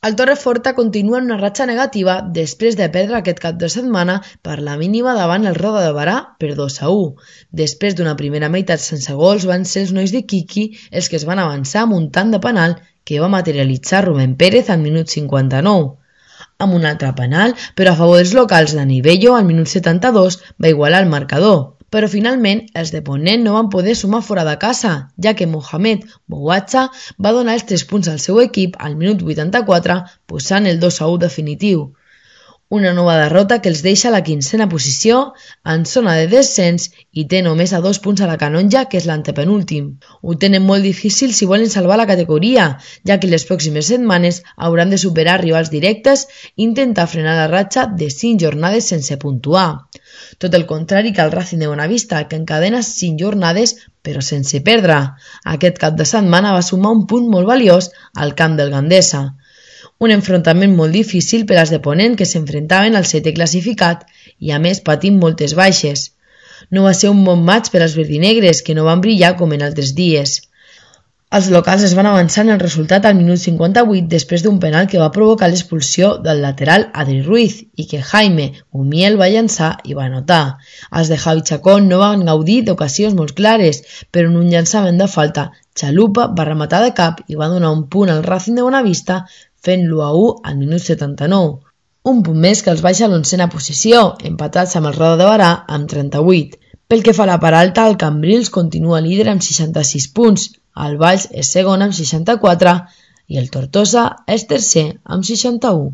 El Torreforta continua en una ratxa negativa després de perdre aquest cap de setmana per la mínima davant el Roda de Berà per 2-1. Després d'una primera meitat sense gols van ser els nois de Quiqui els que es van avançar amb un tant de penal que va materialitzar Rubén Pérez al minut 59. Amb un altre penal, però a favor dels locals, Dani Bello al minut 72 va igualar el marcador. Però finalment els de Ponent no van poder sumar fora de casa, ja que Mohamed Bouatcha va donar els 3 punts al seu equip al minut 84, posant el 2-1 definitiu. Una nova derrota que els deixa a la 15a posició, en zona de descens, i té només a 2 punts a la Canonja, que és l'antepenúltim. Ho tenen molt difícil si volen salvar la categoria, ja que les pròximes setmanes hauran de superar rivals directes i intentar frenar la ratxa de 5 jornades sense puntuar. Tot el contrari que el Racing de Bonavista, que encadena 5 jornades però sense perdre. Aquest cap de setmana va sumar un punt molt valiós al camp del Gandesa. Un enfrontament molt difícil per als de Ponent que s'enfrontaven al 7è classificat i a més patint moltes baixes. No va ser un bon maig per als verdinegres que no van brillar com en altres dies. Els locals es van avançar en el resultat al minut 58 després d'un penal que va provocar l'expulsió del lateral Adri Ruiz i que Jaime Gumiel va llançar i va anotar. Els de Javi Chacón no van gaudir d'ocasions molt clares, però en un llançament de falta, Chalupa va rematar de cap i va donar un punt al Racing de Bonavista fent-lo a 1 al minut 79. Un punt més que els baixa a l'11a posició, empatats amb el Roda de Berà amb 38. Pel que fa a la part alta, el Cambrils continua líder amb 66 punts, el Valls és segon amb 64 i el Tortosa és tercer amb 61.